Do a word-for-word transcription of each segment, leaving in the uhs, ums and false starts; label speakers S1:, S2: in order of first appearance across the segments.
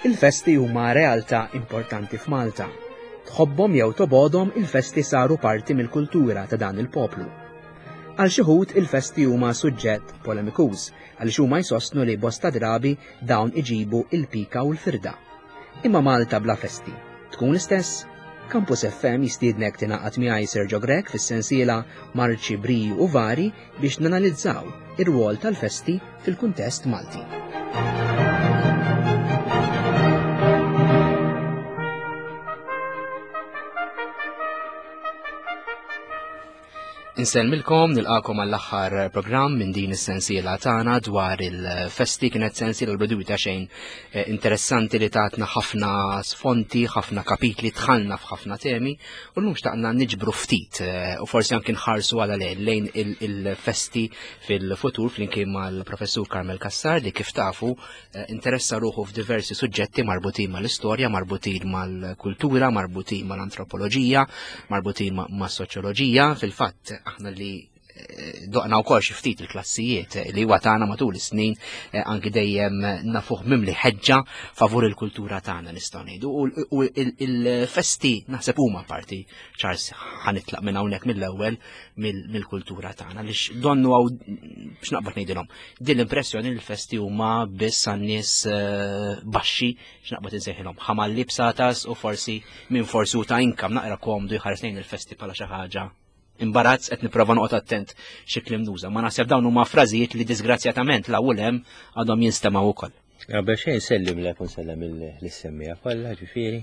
S1: Il-festi huma realtà importanti f'Malta. Tħobbhom jew tobgħodhom, il-festi saru parti mill-kultura ta' dan il-poplu. Għal xi wħud il-festi huma suġġett polemikuż għaliex huma jsostnu li bosta drabi dawn iġibu il-pika u l-firda. Imma Malta bla festi tkun l-istess? Campus F M jistiednek tingħaqad miegħi, Sergio Grech, fis-sensiela Marċi, Briju u Vari biex nanalizzaw ir-rwol tal-festi fil-kuntest Malti. Insellmilkom, nilqagħkom għall-aħħar programm minn din is-sensiela tagħna dwar il-festi. Kienet sensiela l ta' xejn eh, interessanti li tatna ħafna sfonti, ħafna kapitli, dħalna f'ħafna temi u llum xtaqna niġbru ftit eh, u forsi anki nħarsu għala lejn il-festi fil-futur flimkien mal-professur Carmel Cassar li, kif tafu, eh, interessa ruħu f'diversi suġġetti marbutin mal-istorja, marbutin mal-kultura, marbutin mal-antropoloġija, marbutin mas-soċjoloġija. Fil-fatt, aħna li eh, doqna wkoll xi ftit il-klassijiet li huwa tagħna matul is-snin, eh, anki dejjem nafuh mimli ħeġġa favur il-kultura tagħna, nistgħu ngħidu. U il-festi naħseb huma parti, Charles, ħa nitlaq minn hawnhekk mill-ewwel, mill-kultura tagħna, għaliex donnu hawn, biex naqbad ngħidilhom, din l-impressjoni li l-festi huma biss għan-nies eh, baxxi, x'naqbad insejħilhom, ħamalli bsatas u forsi minn forsi ta' income naqra komdu jħares lejn il-festi bħala xi ħaġa imbarazz. Qed nipprova noqgħod attent xi kliem nuża. Ma naħseb dawn huma frażijiet li disgrazzjatament la hemm għadhom jinstemgħu ukoll.
S2: Qabel xejn insellem lilek u nsellem lis-semmiegħa kollha ġifieri.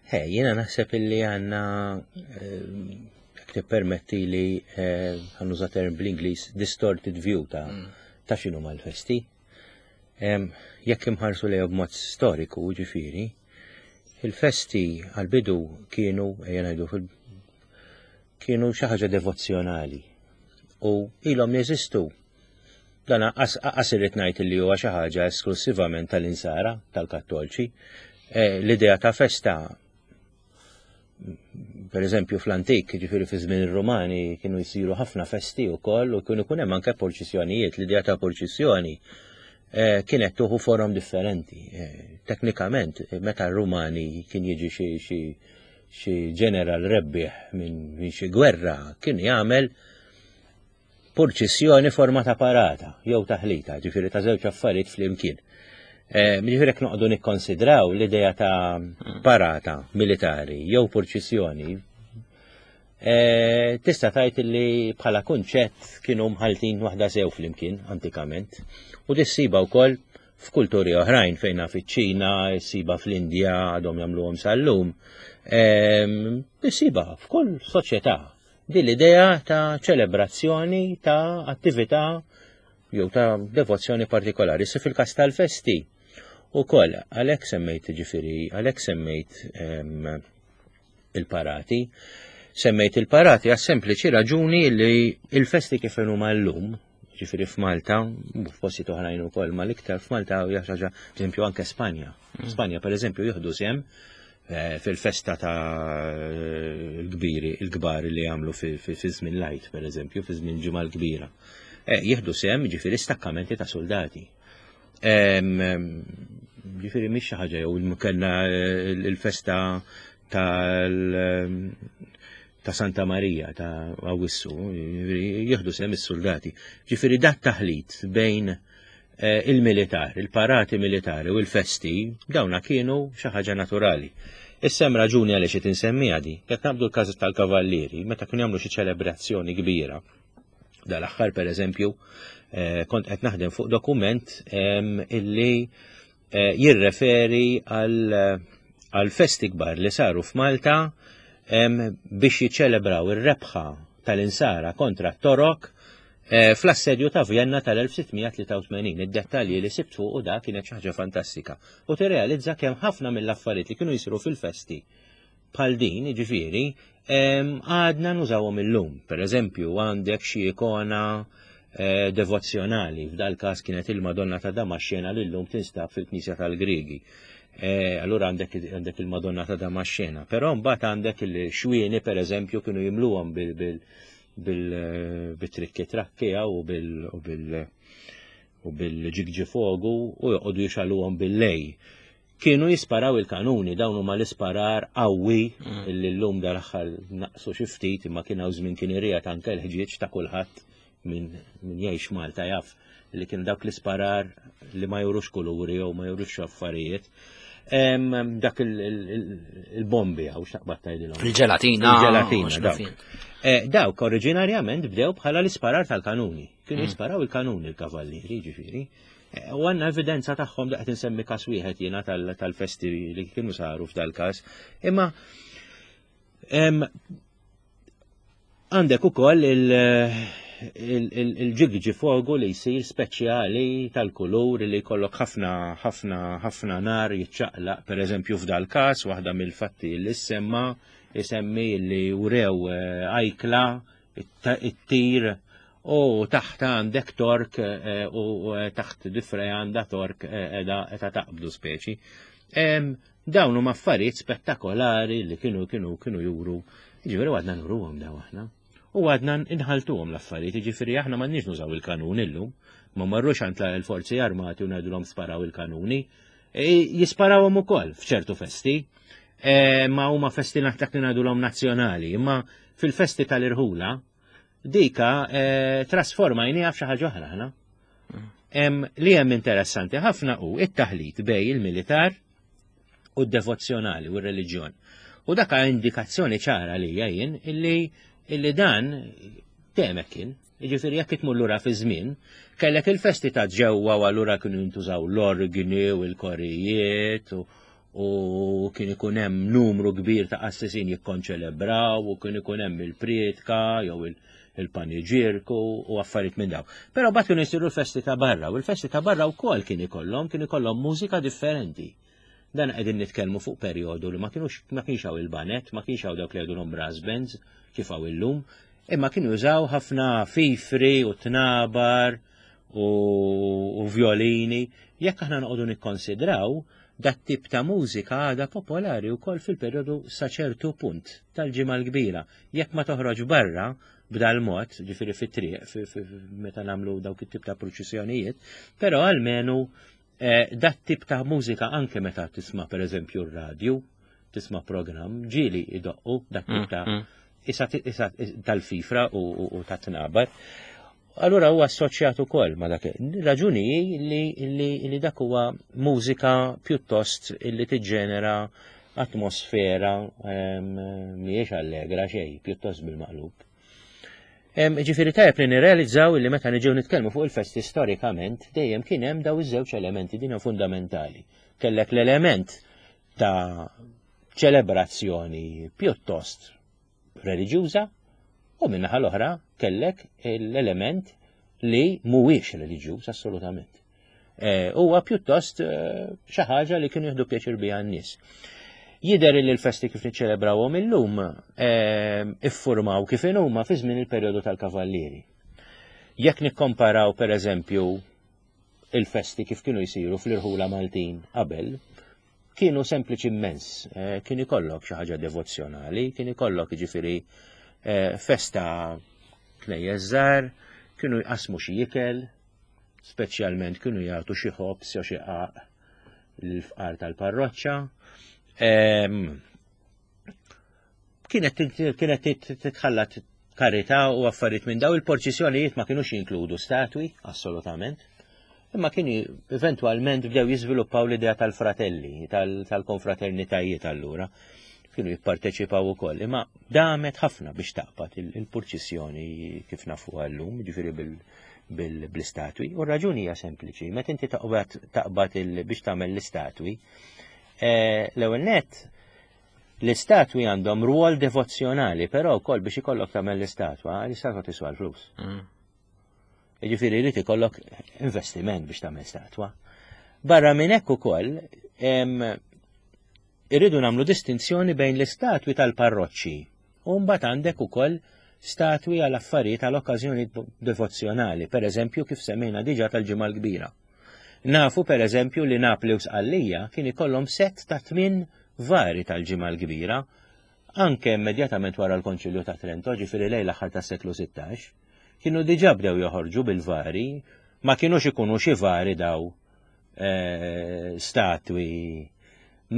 S2: He, jiena naħseb illi għandna, jekk tippermetti li eh, ħa nuża term bl-Ingliż, distorted view ta' mm. ta' x'inhu mal-festi. Jekk imħarsu lejhom b'mod storiku, ġifieri, il-festi għal-bidu kienu, ejja ngħidu, kienu xi ħaġa devozzjonali u ilhom jeżistu. Dan qas irrid ngħid li huwa xi ħaġa esklusivament tal-insara, tal-Kattolċi. Eh, l-idea ta' festa, per eżempju fl-antik, ġifieri fi żmien ir-Rumani, kienu jsiru ħafna festi wkoll u kienu jkun hemm anke purċissjonijiet. L-idea ta' purċissjoni eh, kienet tieħu forom differenti. Eh, teknikament, meta r-Rumani kien jiġi xi xi xi ġeneral rebbieħ minn xi gwerra, kien jagħmel purċissjoni forma ta' parata jew taħlita, ġifieri ta' żewġ affarijiet flimkien. Eh, ġifieri jekk noqogħdu nikkonsidraw l-idea ta' parata militari jew purċissjoni, eh, tista' tgħid li bħala kunċett kienu mħaltin waħda sew flimkien antikament. U tissiba wkoll f'kulturi oħrajn fejn fiċ-Ċina, ssiba fl-Indja, għadhom jagħmluhom sal-lum. Tissiba f'kull soċjetà din l-idea ta' ċelebrazzjoni ta' attività jew ta' devozzjoni partikolari. Se fil-każ tal-festi ukoll, għalhekk semmejt ġifieri, għalhekk semmejt il-parati. Semmejt il-parati għas sempliċi raġuni li il-festi kif huma llum, ġifieri f'Malta, u f'postijiet oħrajn ukoll, ma l-iktar f'Malta, hija xi ħaġa, eżempju, anke Spanja. Mm. Spanja, per eżempju, jieħdu sehem eh, fil-festa ta' l-kbiri, il-kbar li jagħmlu fi żmien l-Għid, per eżempju, fi żmien Ġimgħa l-Kbira. Eh, jieħdu sehem ġifieri stakkamenti ta' soldati. Ġifieri mhix xi ħaġa jew kellna il-festa tal ta' Santa Maria ta' Awissu, jieħdu sehem is-soldati. Ġifieri dat taħlit bejn eh, il-militar, il-parati militari u l-festi, dawna kienu xi ħaġa naturali. Issa hemm raġuni għaliex qed insemmiha di. Jekk naqbdu l-każ tal-kavallieri, meta kienu jagħmlu xi ċelebrazzjoni kbira, dal-aħħar, per eżempju, eh, kont qed naħdem fuq dokument illi eh, jirreferi għal festi kbar li saru f'Malta biex jiċċelebraw ir-rebħa tal-insara kontra t-Torok eh, fl-assedju ta' Vienna tal-elf sitt mija tlieta u tmenin. Id-dettalji li sibt fuq u da kienet xi ħaġa fantastika. U tirrealizza kemm ħafna mill-affarijiet li kienu jsiru fil-festi bħal din, ġifieri, għadna nużawhom illum. Per eżempju, għandek xi ikona eh, devozzjonali, f'dal każ kienet il-Madonna ta' Damaxxena li llum tinstab fil-Knisja tal-Griegi. Eh, allura għandek għandek il-Madonna ta' Damaxxena, però mbagħad għandek il-xwieni, per eżempju, kienu jimluhom bil bil bil bit-trikki trakki u bil u bil u bil-ġigġifogu u joqogħdu jixgħeluhom bil-lejl. Kienu jisparaw il-kanuni, dawn huma l-isparar qawwi mm. li llum dal-aħħar naqsu xi ftit, imma kien hawn żmien kien irriegħed anke l-ħġieġ ta' kulħadd min min jgħix Malta jaf li kien dawk l-isparar li ma jurux kuluri jew ma jurux affarijiet. Dak il-bombi għaw x'taqbad tgħidilhom.
S1: Il-ġelatina.
S2: Il-ġelatina, dawk. Eh, dawk oriġinarjament bdew bħala l-isparar tal-kanuni. Kienu mm. jisparaw il-kanuni l-kavallieri, ġifieri. Eh, u għandna evidenza tagħhom daqt insemmi każ wieħed jiena tal-festi li kienu saru f'dal-każ. Imma għandek ukoll il-ġigġi fogu li jsir speċjali tal-kulur li jkollok ħafna ħafna ħafna nar jiċċaqlaq, per eżempju f'dal każ waħda mill-fatti li semma isemmi li wrew eh, ajkla it-tir u taħt għandek tork eh, u eh, taħt difre għandha tork edha taqbdu speċi. Dawn huma affarijiet spettakolari li kienu kienu kienu juru. Ġifieri għadna nuruhom daw aħna. U għadna nħaltuhom l-affarijiet, jiġifieri aħna m'għandniex nużaw il-kanun illum, ma marrux għand l-forzi armati u ngħidulhom sparaw il-kanuni. E, jisparawhom ukoll f'ċertu festi, e, ma huma festi dak li ngħidulhom nazzjonali, imma fil-festi tal-irħula dika e, trasformajniha f'xi ħaġa oħra aħna. Li hemm interessanti ħafna hu it-taħlit bej il-militar u d-devozzjonali u r-reliġjon. U dak indikazzjoni ċara li jien illi illi dan temek kien. Jiġifieri jekk itmur lura fi żmien, kellek il-festi ta' ġewwa u allura kienu jintużaw l-organi u l-korijiet u, u kien ikun hemm numru kbir ta' qassisin jikkonċelebraw u kien ikun hemm il-prietka jew il-paniġirku u affarijiet minn daw. Però mbagħad kienu jsiru l-festi ta' barra u l-festi ta' barra wkoll kien ikollhom kien ikollhom mużika differenti. Dan qegħdin nitkellmu fuq perjodu li ma kienux ma kienx hawn il-banet, ma kienx hawn dawk li jgħidulhom brass bands kif hawn illum, imma kienu jużaw ħafna fifri u tnabar u, u violini. Jekk aħna noqogħdu nikkonsidraw, dat tip ta' mużika għadha popolari wkoll fil-perjodu sa ċertu punt tal-Ġimgħa l-Kbira. Jekk ma toħroġ barra b'dal mod, ġifieri fit-triq, meta nagħmlu dawk it-tip ta' pruċissjonijiet, però almenu eh, dat tip ta' mużika anke meta tisma' pereżempju r-radju, tisma' programm, ġieli idoqqu dak tip ta' mm, mm. isa, isa tal-fifra u, u, u tat-tnabar. Allura huwa assoċjat ukoll ma' dak. Raġuni li, li, li dak huwa mużika pjuttost li tiġġenera atmosfera mhijiex allegra xejn, pjuttost bil-maqlub. Ġifieri tajjeb li nirrealizzaw li meta niġew nitkellmu fuq il-festi storikament dejjem kien hemm daw iż-żewġ elementi din fundamentali. Kellek l-element ta' ċelebrazzjoni pjuttost reliġjuża u min-naħa l-oħra kellek l-element li mhuwiex reliġjuż assolutament. Eh, huwa pjuttost eh, xi ħaġa li kienu jieħdu pjaċir biha n-nies. Jidher li l-festi kif niċċelebrawhom illum eh, iffurmaw kif huma fi żmien il-perjodu tal-Kavallieri. Jekk nikkomparaw pereżempju il-festi kif kienu jsiru fl-irħula Maltin qabel, kienu sempliċi immens. Eh, kien ikollok xi ħaġa devozzjonali, kien ikollok jiġifieri eh, festa knejjes żgħar, kienu jqasmu xi ikel, speċjalment kienu jagħtu xi ħobż jew xi qaq lill-fqar tal-parroċċa. Kienet kienet titħallat karità u affarijiet minn daw il-porċissjonijiet ma kienux jinkludu statwi, assolutament. Imma kienu eventwalment bdew jiżviluppaw l-idea tal-fratelli, tal-konfraternitajiet allura. Kienu jipparteċipaw ukoll, imma damet ħafna biex taqbad il-purċissjoni kif nafuha llum, ġifieri bil-istatwi. U r-raġuni hija sempliċi, meta inti taqbad taqbad biex tagħmel l-istatwi, eh, l-ewwel nett l-istatwi għandhom rwol devozzjonali, però wkoll biex ikollok tagħmel l-istatwa, l-istatwa tiswa l-flus. Mm. Jiġifieri jrid ikollok investiment biex tagħmel statwa. Barra minn hekk ukoll irridu nagħmlu distinzjoni bejn l-istatwi tal-parroċċi u mbagħad għandek ukoll statwi għal affarijiet għal okkażjoni devozzjonali, per eżempju kif semmejna diġà tal-Ġimgħa l-Kbira. Nafu per eżempju li Napli u Sqallija kien ikollhom sett ta' tmien vari tal-Ġimgħa l-Kbira anke immedjatament wara l-Konċilju ta' Trento, ġifieri lejn l-aħħar tas-seklu sittax, kienu diġà bdew joħorġu bil-vari, ma kienux ikunu xi vari daw eh, statwi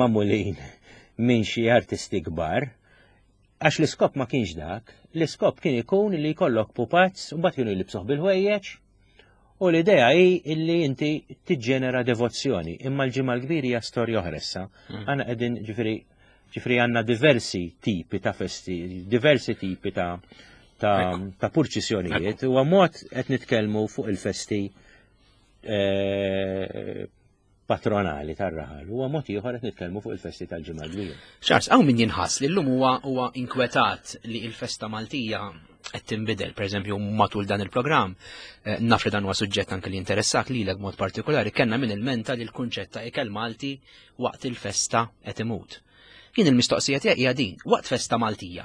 S2: magħmulin minn xi artisti kbar, għax l-iskop ma kienx dak, l-iskop kien ikun li jkollok pupazz u mbagħad kienu jlibsuh bil-ħwejjeġ u l-idea hi illi inti tiġġenera devozzjoni, imma l-Ġimgħa l-Kbira hija storja oħra issa.
S1: Mm.
S2: Għana qegħdin ġifieri ġifieri għandna diversi tipi ta' festi, diversi tipi ta' ta',
S1: Ekku.
S2: ta' purċissjonijiet u mod qed nitkellmu fuq il-festi eh, patronali tar-raħal. Huwa mod ieħor qed nitkellmu fuq il-festi tal-Ġimgħa l-Kbira.
S1: Charles, hawn min jinħass li llum huwa huwa inkwetat li l-festa Maltija qed tinbidel, pereżempju matul dan il-programm, eh, naf li dan huwa suġġett anke li interessak lilek b'mod partikolari, kellna min ilmenta li l-kunċett ta' ikel Malti waqt il-festa qed imut. Jien il-mistoqsija tiegħi hija din, waqt festa Maltija,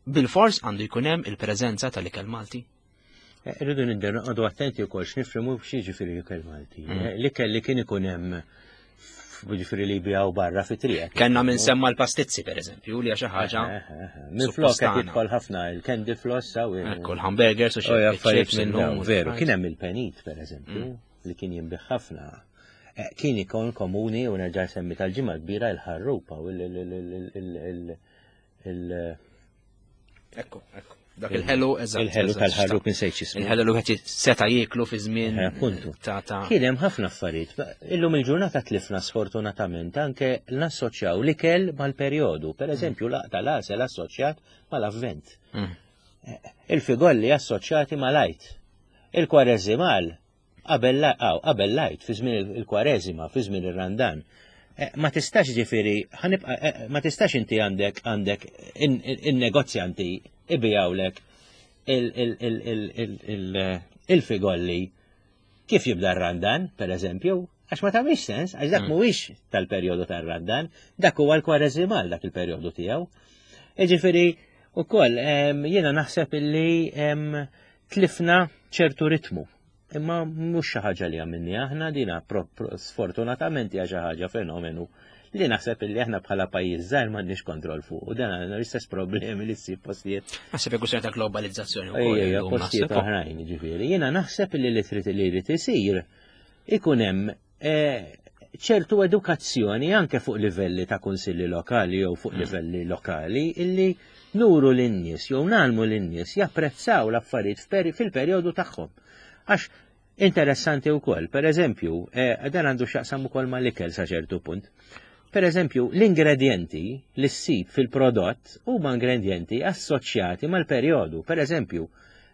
S1: bil-fors għandu jkun hemm il-preżenza tal-ikel Malti?
S2: Eh, Irridu nidderu għadu attenti wkoll x'nifhmu x'jiġifieri ikel Malti.
S1: Mm.
S2: Eh, L-ikel li kien ikun hemm ġifieri li jbijaw barra fi triq.
S1: Kellna min semma l-pastizzi pereżempju, li hija xi ħaġa
S2: Minn flok qed
S1: suppostana.
S2: jidħol ħafna il-candy floss saw
S1: Ekku l-hamburgers u
S2: Oh,
S1: xi
S2: affarijiet
S1: chips
S2: minn
S1: illum
S2: dawn,
S1: u
S2: veru,
S1: fries.
S2: kien hemm il-penit per eżempju,
S1: Mm.
S2: li kien jinbigħ ħafna. Eh, Kien ikun komuni u nerġa' semmi tal-Ġimgħa Kbira il-ħarrupa u il- il- il- il- il- il-
S1: Ekku, ekku. Dak il-ħelu, eżatt.
S2: il-ħelu
S1: eżatt,
S2: tal-ħarrup insejt x'ismu.
S1: Il-ħelu li wieħed seta' jieklu fi żmien
S2: Eh, appuntu.
S1: ta' ta'
S2: Kien hemm ħafna affarijiet. Illum il-ġurnata tlifna sfortunatament anke nassoċjaw l-ikel mal-perjodu. Per eżempju, laqta l-għasel assoċjat mal-avvent.
S1: Mm.
S2: Il-figolli assoċjati mal-Għid. Il-kwareżimal qabel la- aw, qabel l-Għid, fi żmien il-kwareżima, fi żmien ir-Randan. Eh, Ma tistax ġifieri, ħanibqa' eh, ma tistax inti għandek għandek in-negozjanti ibijawlek il- il- il- il- il- il- il-figolli kif jibda r-Randan, per eżempju, għax ma tagħmilx sens, għax dak
S1: Mm.
S2: mhuwiex tal-perjodu tar-Randan, dak huwa l-kwareżimal dak il-perjodu tiegħu. Jiġifieri ukoll em, jiena naħseb illi em, tlifna ċertu ritmu. Imma mhux xi ħaġa li għamilni aħna dina pro- pro- sfortunatament hija xi ħaġa fenomenu li naħseb illi aħna bħala pajjiż żgħir m'għandniex kontroll fuq u dan għandna l-istess problemi li ssib postijiet
S1: Naħseb hekk kwistjoni ta' globalizzazzjoni wkoll.
S2: Ejja,
S1: illum
S2: postijiet
S1: naħseb.
S2: oħrajn, ġifieri. Jiena naħseb li li trid li jrid isir ikun hemm eh, ċertu edukazzjoni anke fuq livelli ta' kunsilli lokali jew fuq
S1: Mm.
S2: livelli lokali illi nuru lin-nies jew nagħlmu lin-nies japprezzaw l-affarijiet f'peri- fil-perjodu tagħhom. Għax interessanti wkoll, per eżempju, eh, dan għandu x'jaqsam ukoll mal-ikel sa ċertu punt. Per eżempju, l-ingredienti li ssib fil-prodott huma ingredienti assoċjati mal-perjodu. Per eżempju,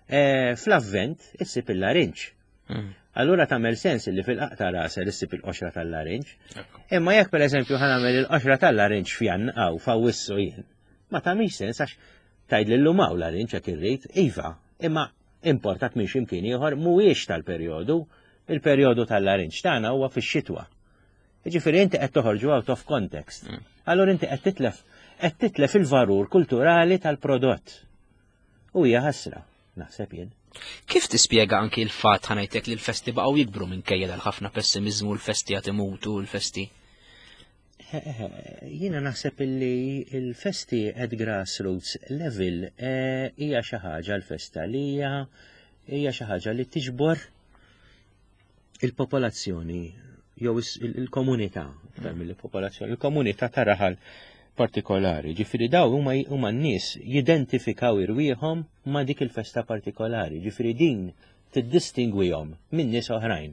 S2: eh, fl-avvent issib il-larinġ.
S1: Mm.
S2: Allura tagħmel sens li fil-qaq rasel issib il-qoxra tal-larinġ.
S1: Ekku.
S2: Imma jekk per eżempju ħa nagħmel il-qoxra tal-larinġ f'Jan aw f'Awwissu jien, ma tagħmilx sens għax tgħid lil hawn larinġ jekk irrid, iva, imma importat minn x'imkien ieħor mhuwiex tal-perjodu, il-perjodu tal-larinġ tagħna huwa fix-xitwa. Jiġifieri inti qed toħorġu out of context.
S1: Mm.
S2: Allura inti qed titlef qed titlef il-valur kulturali tal-prodott. U hija ħasra, naħseb jien.
S1: Kif tispjega anki l-fatt ħa ngħidlek li l-festi baqgħu jikbru minkejja dal-ħafna pessimizmu, l-festi qed imutu, l-festi.
S2: Jiena naħseb illi il-festi at grassroots level eh, hija xi ħaġa l-festa li hija hija xi ħaġa li tiġbor il-popolazzjoni jew is- il- il-komunità, iktar mill-popolazzjoni, il-komunità ta' raħal partikolari. Ġifieri daw huma huma n-nies jidentifikaw irwieħhom ma' dik il-festa partikolari. Ġifieri din tiddistingwihom minn nies oħrajn.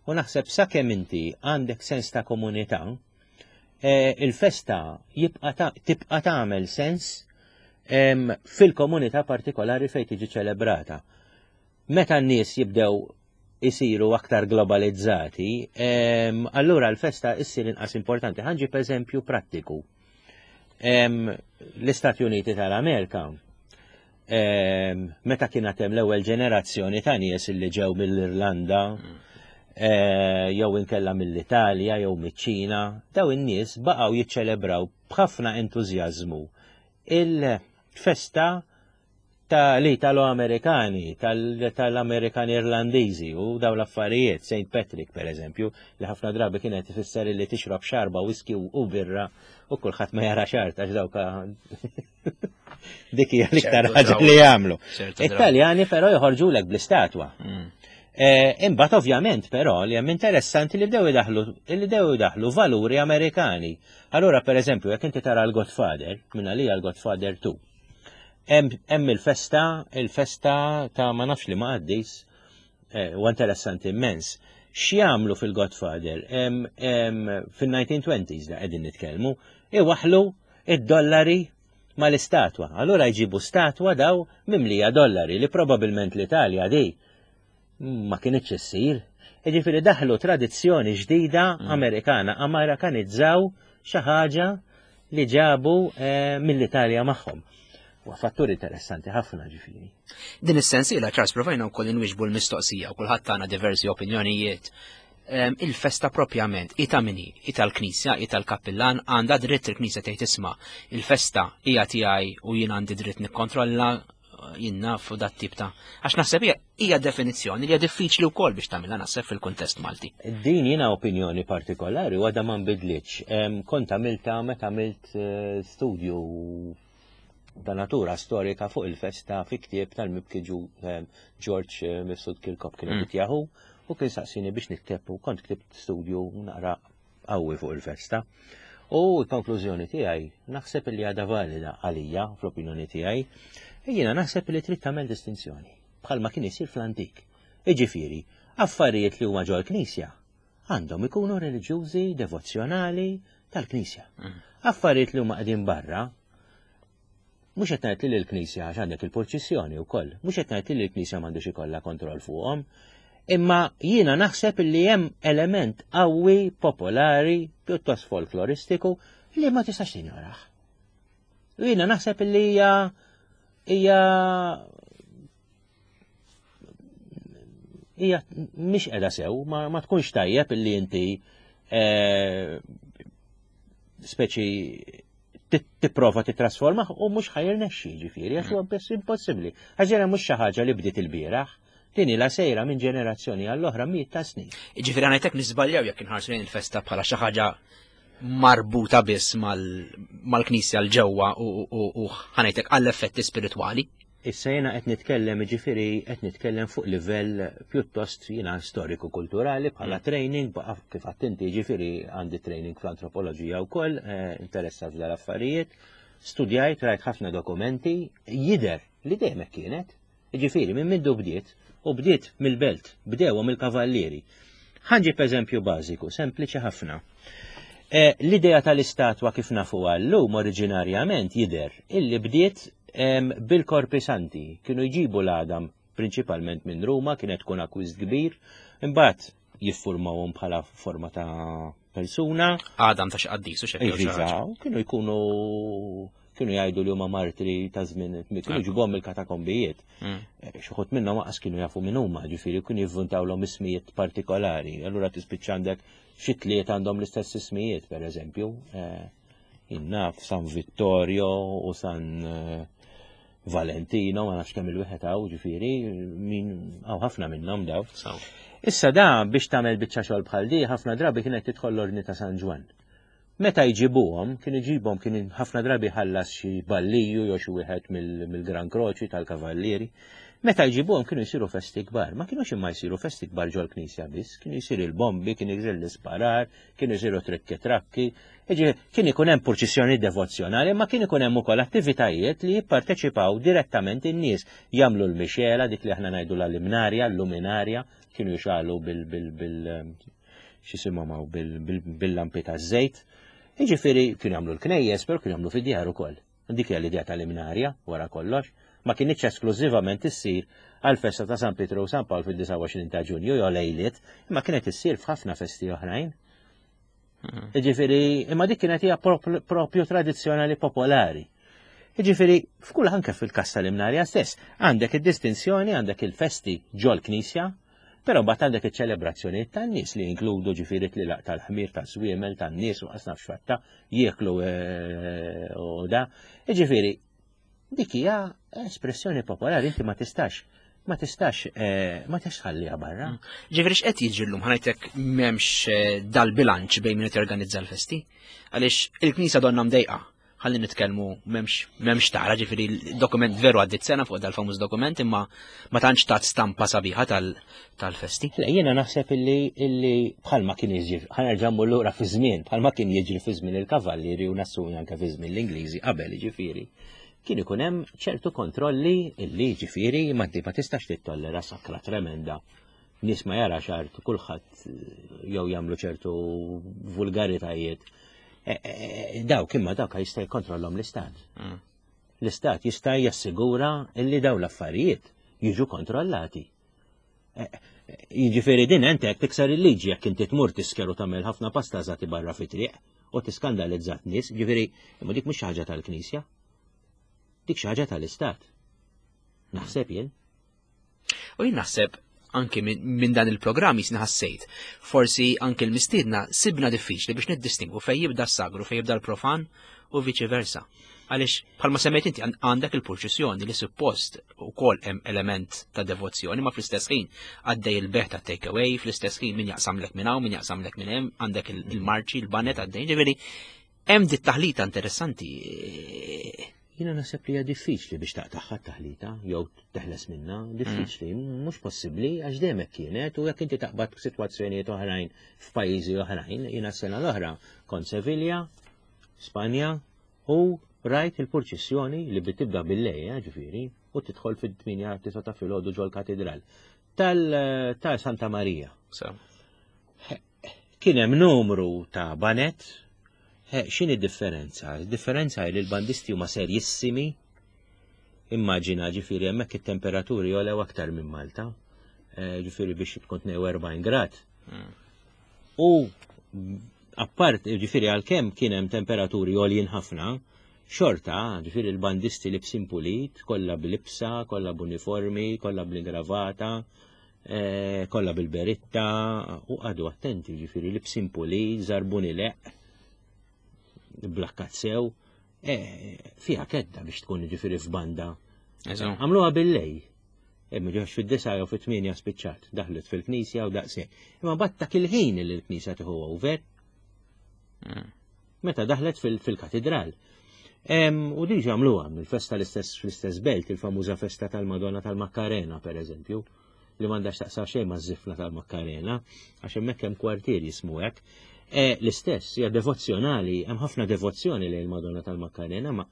S2: U naħseb sakemm inti għandek sens ta' komunità, eh, il-festa jibqa ta' tibqa' tagħmel sens em, fil-komunità partikolari fejn tiġi ċelebrata. Meta n-nies jibdew isiru aktar globalizzati, em, allura l-festa issir inqas importanti. Ħa nġib eżempju prattiku. Em, L-Istati Uniti tal-Amerika, em, meta kien hemm l-ewwel ġenerazzjoni ta' nies li ġew mill-Irlanda, eh, jew inkella mill-Italja jew miċ-Ċina, daw in-nies baqgħu jiċċelebraw b'ħafna entużjażmu il-festa ta' l-Italo-Amerikani, tal-Amerikani Irlandiżi u daw l-affarijiet, Saint Patrick per eżempju, li ħafna drabi kienet ifisser li tixrob xarba, whisky u birra u kulħadd ma jara xart għax dawka dik hija l-iktar
S1: ċertu
S2: ħaġa
S1: draw.
S2: li jagħmlu.
S1: ċertu draw.
S2: Italjani però joħorġulek bl-istatwa.
S1: Mm.
S2: Eh, imbagħad ovvjament però li hemm interessanti li bdew idaħlu li bdew idaħlu valuri Amerikani. Allura pereżempju jekk inti tara l-Godfather, minn għalija l-Godfather two. Hemm il-festa, il-festa ta' ma nafx li ma qaddis, eh, u interessanti immens. X'jagħmlu fil-Godfather? Fil-nineteen twenties da qegħdin nitkellmu, iwaħlu id-dollari mal-istatwa. Allura jġibu statwa daw mimlija dollari li probabilment l-Italja di ma kienitx issir. Jiġifieri daħlu tradizzjoni ġdida mm. Amerikana, Amerikanizzaw xi ħaġa li ġabu eh, mill-Italja magħhom. U fattur interessanti ħafna ġifieri.
S1: Din is-sensiela Charles provajna wkoll inwiġbu l-mistoqsija u kulħadd tagħna diversi opinjonijiet. Il-festa propjament, hi ta' min hi, hi tal-Knisja, hi tal-kappillan, għandha dritt il-Knisja tgħid isma' il-festa hija tiegħi u jien għandi dritt nikkontrolla jien naf u dat tip ta' għax naħseb hija hija definizzjoni li hija diffiċli wkoll biex tagħmilha naħseb fil-kuntest Malti.
S2: Din jiena opinjoni partikolari u għadha ma nbidlitx. Kont għamilta meta għamilt eh, studju ta' natura storika fuq il-festa fi ktieb tal-mibki George eh, Mifsud Kirkop kien mm. jaħu u kien saqsini biex nikteb u kont ktibt studju naqra qawwi fuq il-festa. U l-konklużjoni tiegħi naħseb li għadha valida għalija fl-opinjoni tiegħi, jiena naħseb li trid tagħmel distinzjoni bħalma kien isir fl-antik. Iġifieri, affarijiet li huma ġol-knisja għandhom ikunu reliġjużi, devozzjonali tal-knisja. Mm. Affarijiet li huma qegħdin barra, mhux qed ngħid li l-knisja għax għandek il-purċissjoni wkoll, mhux qed ngħid li l-knisja m'għandux ikollha kontroll fuqhom, imma jiena naħseb li hemm element qawwi, popolari, pjuttost folkloristiku li ma tistax tinjorah. U jiena naħseb li hija hija hija mhix qiegħda sew, ma, ma tkunx tajjeb illi inti eh, speċi tipprova titrasforma u mhux ħajrnexxi ġifieri għax huwa biss impossibbli. Għax ġera mhux xi ħaġa li bdiet il-bieraħ, din ilha sejra minn ġenerazzjoni għall-oħra mijiet ta' snin.
S1: Ġifieri ngħidlek nisbaljaw jekk inħarsu lejn il-festa bħala xi ħaġa marbuta biss mal-knisja l-ġewwa u ħanejtek għall-effetti spiritwali.
S2: Issa jiena qed nitkellem, ġifieri qed nitkellem fuq livell pjuttost jiena storiku-kulturali bħala mm. training, baqa' kif għedt inti ġifieri għandi training fl-antropoloġija wkoll, eh, interessat f'dal affarijiet, studjajt, rajt ħafna dokumenti, jidher li dejjem hekk kienet. Ġifieri minn mindu bdiet, u bdiet mill-belt, bdewhom il-kavallieri. Ħanġib eżempju bażiku, sempliċi ħafna. Eh, l-idea tal-istatwa kif nafu llum oriġinarjament jidher illi bdiet bil-Korpi Santi, kienu jġibu l-għadam prinċipalment minn Ruma, kienet tkun akkwist kbir, imbagħad jiffurmawhom bħala forma ta' persuna.
S1: Għadam ta' xi qaddis u xi
S2: ħaġa. Kienu jkunu kienu jgħidu li huma martri ta' żmien, kienu ġibhom il-katakombijiet. Mm. Eh, xi ħadd minnhom aqas kienu jafu min huma, ġifieri kienu jivvuntawlhom ismijiet partikolari. Allura tispiċċa għandek xi tliet għandhom l-istess ismijiet, pereżempju. Eh, Innaf San Vittorio u San eh, Valentino, ma nafx kemm il-wieħed hawn, ġifieri, min hawn ħafna minnhom daw. Issa da biex tagħmel biċċa xogħol bħal di, ħafna drabi kienet tidħol l-Ordni ta' San Ġwann. Meta jġibuhom, kien iġibhom kien ħafna drabi ħallas xi balliju jew xi wieħed mill-Gran Kroċi tal-Kavallieri. Meta jġibuhom kienu jsiru festi kbar, ma kienux imma jsiru festi kbar ġol-knisja biss, kienu jsiru il-bombi, kienu jsiru l-isparar, kienu jsiru trikki trakki, kien ikun hemm purċissjoni devozzjonali, ma kien ikun hemm ukoll attivitajiet li jipparteċipaw direttament in-nies, jagħmlu l-mixela, dik li aħna ngħidu l-limnarja, l-luminarja, kienu jxalu bil bil bil x'isimhom hawn bil-lampi taż-żejt. Jiġifieri kienu jagħmlu l-knejjes, però kienu jagħmlu fid-djar ukoll. Dik hija l-idea tal-imnarja wara kollox, ma kienitx esklużivament issir għal-festa ta' San Pietru u San Pawl fid-disgħa u għoxrin ta' Ġunju jew lejliet, imma kienet issir f'ħafna festi oħrajn.
S1: Mm.
S2: Jiġifieri, imma dik kienet hija propju tradizzjonali popolari. Jiġifieri, f'kull anke fil-każ tal-imnarja stess, għandek id-distinzjoni, għandek il-festi ġol-knisja, però mbagħad għandek iċ-ċelebrazzjonijiet tan-nies li jinkludu ġifieri tlilaq tal-ħmir, taż-żwiemel, tan-nies u qas nafx fatta, jieklu, eh, u da. Jiġifieri, dik hija espressjoni popolari, inti ma tistax, ma tistax, eh, ma tistax tħalliha barra.
S1: Mm. Ġifieri x'qed jiġri llum, ħanajtek m'hemmx, eh, dal-bilanċ bejn min qed jorganizza l-festi, għaliex il-Knisja donna mdejqa. Ħalli nitkellmu m'hemmx m'hemmx tara, ġifieri dokument veru għaddit sena fuq dal-famuż dokument, imma ma tantx tat stampa sabiħa tal-festi.
S2: Le, jiena naħseb illi illi bħalma kien jiġri, ħa nerġa' mmur lura fi żmien, bħalma kien jiġri fi żmien il-kavallieri u nassumi anke fi żmien l-Ingliżi qabel, ġifieri kien ikun hemm ċertu kontrolli illi ġifieri ma ma tistax tittollera sakra tremenda. Nies ma jara xart, kulħadd jew jagħmlu ċertu vulgaritajiet. E, e, e, dawk imma dawk jista' jikkontrollhom l-istat. Mm. L-istat jista' jassigura illi daw l-affarijiet jiġu kontrollati. Jiġifieri din ent hekk tiksar il-liġi jekk inti tmur tisker u tagħmel ħafna pastażati barra fi triq u tiskandalizzat nies, ġifieri imma dik mhux ħaġa tal-Knisja. Dik xi ħaġa tal-istat. Naħseb jien.
S1: U jien naħseb anki minn dan il-programm jisni ħassejt. Forsi anki l-mistiedna sibna diffiċli biex niddistingu fej jibda s-sagru, fej jibda l-profan u viċi versa. Għaliex bħalma semmejt inti, għandek il-purċissjoni li suppost ukoll hemm element ta' devozzjoni, ma fl-istess ħin għaddej il-bejgħ ta' take away, fl-istess ħin min jaqsamlek minn hawn, min jaqsamlek minn hemm, għandek il-marċi, il-banet għaddej, ġifieri hemm dit taħlita interessanti.
S2: Jiena naħseb li hija diffiċli biex taqtagħha taħlita jew teħles minna, diffiċli, mhux possibbli għax dejjem hekk kienet u jekk inti taqbad sitwazzjonijiet oħrajn f'pajjiżi oħrajn, jiena s-sena l-oħra kont Sevilla, Spanja, u rajt il-purċissjoni li bitibda bil-lejl, ġifieri, u tidħol fid-tmienja tisa ta' filgħodu ġol-katedral tal ta' Santa Maria. Kien hemm numru ta' banet. X'inhi differenza? Differenza li l-bandisti huma serjissimi. Immaġina, ġifieri hemmhekk it-temperaturi jolew aktar minn Malta. Eh, ġifieri biex tkun tnejn u erbgħin grad. Hmm. U appart, ġifieri għalkemm kien hemm temperaturi għoljin ħafna, xorta, ġifieri l-bandisti libsin pulit, kollha bil-libsa, kollha b'uniformi, kollha bl-ingravata, eh, kollha bil-beritta, u għadu attenti, ġifieri libsin pulit, żarbuni leq, blakkat sew, e, fiha kedda biex tkun ġifieri f'banda. Għamluha bil-lejl. Imma ġox fid-disa jew fit-tmienja spiċċat, daħlet fil-knisja u daqshekk. Imma batta il-ħin li l-knisja tieħu over. Mm. Meta daħlet fil-katedral. U diġa għamluha mill-festa l-istess fl-istess belt, il-famuża festa tal-Madonna tal-Makkarena, per eżempju, li m'għandax taqsam xejn ma' tal-Makkarena, għax hemmhekk hemm kwartier jismu hekk. E, l-istess, hija devozzjonali, hemm ħafna devozzjoni lejn il-Madonna tal-Makkarena, ma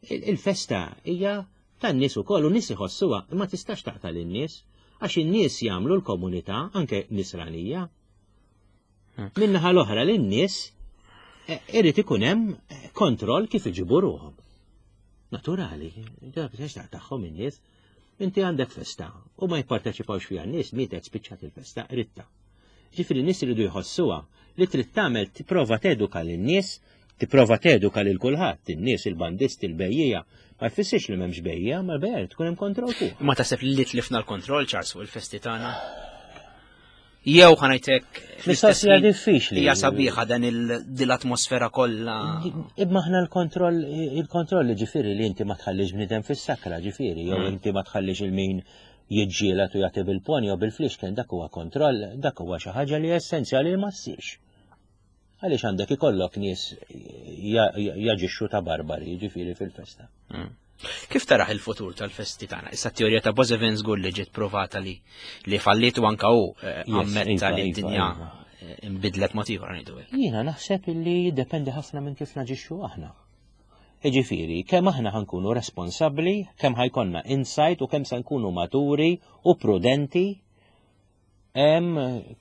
S2: il-festa hija tan-nies ukoll u nies iħossuha, imma tistax taqta' lin-nies għax in-nies jagħmlu l-komunità anke nisranija. Hmm. Min-naħa l-oħra lin-nies e, irid ikun hemm kontroll kif iġibu ruhom. Naturali, biex tagħhom in-nies. Inti għandek festa u ma jipparteċipawx fiha n-nies, mietet, spiċċat il-festa, ritta. Ġifieri n-nies iridu jħossuha. Li trid tagħmel, tipprova teduka lin-nies, tipprova teduka lil kulħadd, in-nies, il-bandisti, il-bejjiegħa. Ma jfissirx li m'hemmx bejjiegħa, ma l-bejjiegħa tkun hemm kontroll fuq.
S1: Ma taħseb li tlifna l-kontroll, Charles, fuq il-festi tagħna? Jew ħa ngħidlek
S2: Mistoqsija diffiċli.
S1: Hija sabiħa dan l-atmosfera kollha.
S2: Imma aħna l-kontroll, il-kontroll ġifieri li inti ma tħallix bniedem fis-sakra, ġifieri, jew mm. inti ma tħallix il-min jiġġieled u jagħti bil-ponn jew bil-flixken, dak huwa kontroll, dak huwa xi ħaġa li essenzjali li ma ssirx. Għaliex għandek ikollok nies jaġixxu ta' barbari, ġifieri, fil-festa.
S1: Mm. Kif taraħ il-futur tal-festi tagħna? Issa t-teorija ta' Boissevain żgur li ġiet provata li li falliet u anka hu eh, ammetta iva, li iva, d-dinja iva. Eh, imbidlet mod ieħor, ngħidu hekk.
S2: Jiena naħseb illi jiddependi ħafna minn kif naġixxu aħna. Jiġifieri, kemm aħna ħa nkunu responsabbli, kemm ħa jkollna insight u kemm se nkunu maturi u prudenti em,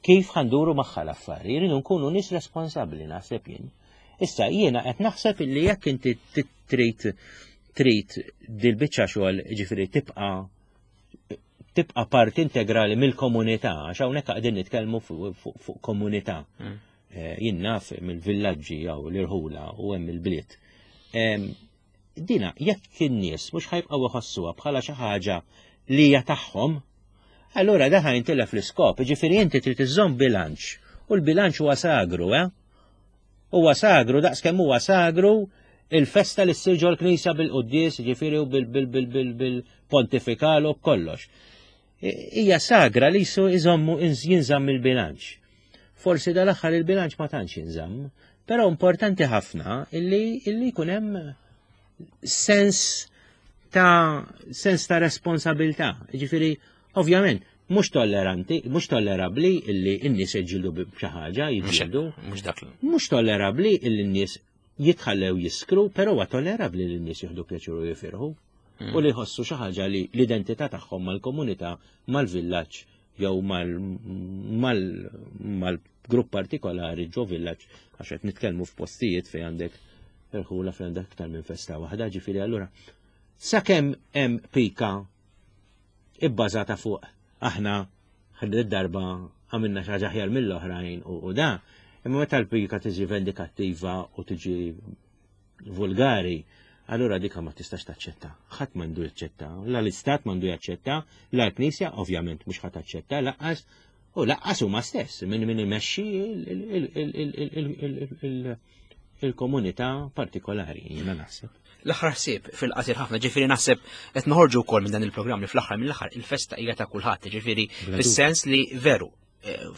S2: kif ħa nduru magħha l-affari. Jridu nkunu nies responsabbli, naħseb jien. Issa jiena qed naħseb illi jekk inti trid trid dil-biċċa xogħol, ġifieri tibqa' tibqa' parti integrali mill-komunità, għax hawnhekk qegħdin nitkellmu fuq komunità. Mm. Eh, jien naf mill-villaġġi jew l-irħula u hemm il-bliet. Dina jekk in-nies mhux ħa jibqgħu iħossuha bħala xi ħaġa li hija tagħhom, allura da ħa jintilef l-iskop, ġifieri inti trid iżżomm bilanċ u l-bilanċ huwa sagru, eh? Huwa sagru daqs kemm huwa sagru il-festa li ssir ġol-knisja bil-quddies, ġifieri, u bil-pontifikal u b'kollox. Hija sagra li jisu iżommu jinżamm il-bilanċ. Forsi dal-aħħar il-bilanċ ma tantx jinżamm, però importanti ħafna illi illi jkun hemm Sens ta' sens ta' responsabilità. Ġifieri, ovvjament, mhux tolleranti, mhux tollerabbli illi n-nies jiġġieldu b'xi ħaġa, jiġġieldu.
S1: Mhux dak.
S2: Mhux tollerabbli illi n-nies jitħallew jiskru, però huwa tollerabbli li n-nies jieħdu pjaċir u jifirħu.
S1: Mm.
S2: U li jħossu xi ħaġa li l-identità tagħhom mal-komunità, mal-villaġġ jew mal-grupp partikolari ġo villaġġ, għax qed nitkellmu f'postijiet fejn għandek irħula fejn għandek aktar minn festa waħda, ġifieri allura sakemm hemm pika ibbażata fuq aħna ħadd darba għamilna xi ħaġa aħjar mill-oħrajn u da, imma meta l-pika tiġi vendikattiva u tiġi vulgari, allura dika ma tistax taċċetta. Ħadd m'għandu jaċċetta, la l-istat m'għandu jaċċetta, la l-Knisja ovvjament mhux ħadd taċċetta, laqqas u laqqas huma stess minn min imexxi il-komunità partikolari, jiena naħseb.
S1: L-aħħar ħsieb fil-qasir ħafna, ġifieri naħseb qed noħorġu wkoll minn dan il-programm li fl-aħħar mill-aħħar il-festa hija ta' kulħadd, ġifieri fis-sens li veru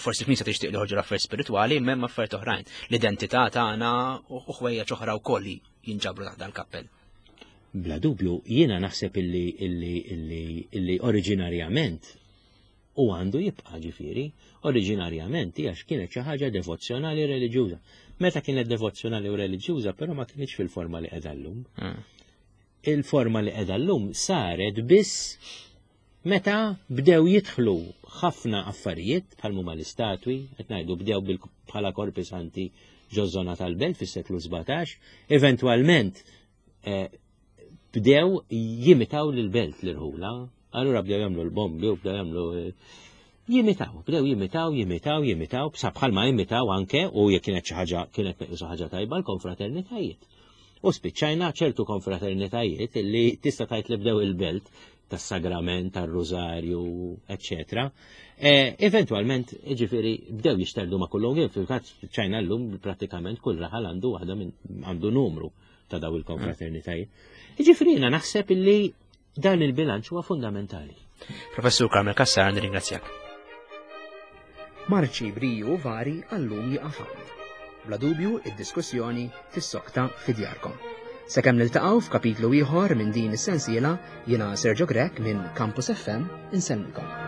S1: forsi l-Knisja tixtieq li ħorġu l-affarijiet spiritwali, imma hemm affarijiet oħrajn. L-identità tagħna u ħwejjeġ oħra wkoll li jinġabru taħt dal-kappell.
S2: Bla dubju, jiena naħseb illi illi illi illi oriġinarjament u għandu jibqa' ġifieri, oriġinarjament hija kienet xi ħaġa devozzjonali reliġjuża. Meta kienet devozzjonali u reliġjuża, però ma kienx fil-forma li qiegħda llum. Il-forma li qiegħda llum saret biss meta bdew jidħlu ħafna affarijiet bħal huma l-istatwi, qed ngħidu bdew bħala korpi santi ġoż-żona tal-belt fis-seklu sbatax, eventwalment bdew jimitaw lill-belt l-irħula, allura bdew jagħmlu l-bombi u bdew jagħmlu jimitaw, bdew jimitaw, jimitaw, jimitaw, bsa bħalma jimitaw anke u jekk kienet xi ħaġa kienet meqjusa ħaġa tajba l-konfraternitajiet. U spiċċajna ċertu konfraternitajiet li tista' tgħid li bdew il-belt tas-sagrament, tar-rużarju, eċċetera. Eventualment, ġifieri, bdew jixterdu ma' kullum, fil-fatt spiċċajna llum prattikament kull raħal għandu waħda minn għandu numru ta' daw il-konfraternitajiet. Ġifieri jiena naħseb illi dan il-bilanċ huwa fundamentali.
S1: Professur Carmel Cassar, nirringrazzjak. Marċi briju vari għallum jieqaf hawn. Bla dubju, id-diskussjoni tissokta fi djarkom. Sakemm niltaqgħu f'kapitlu ieħor minn din is-sensiela, jiena Sergio Grech minn Campus F M insellmilkom.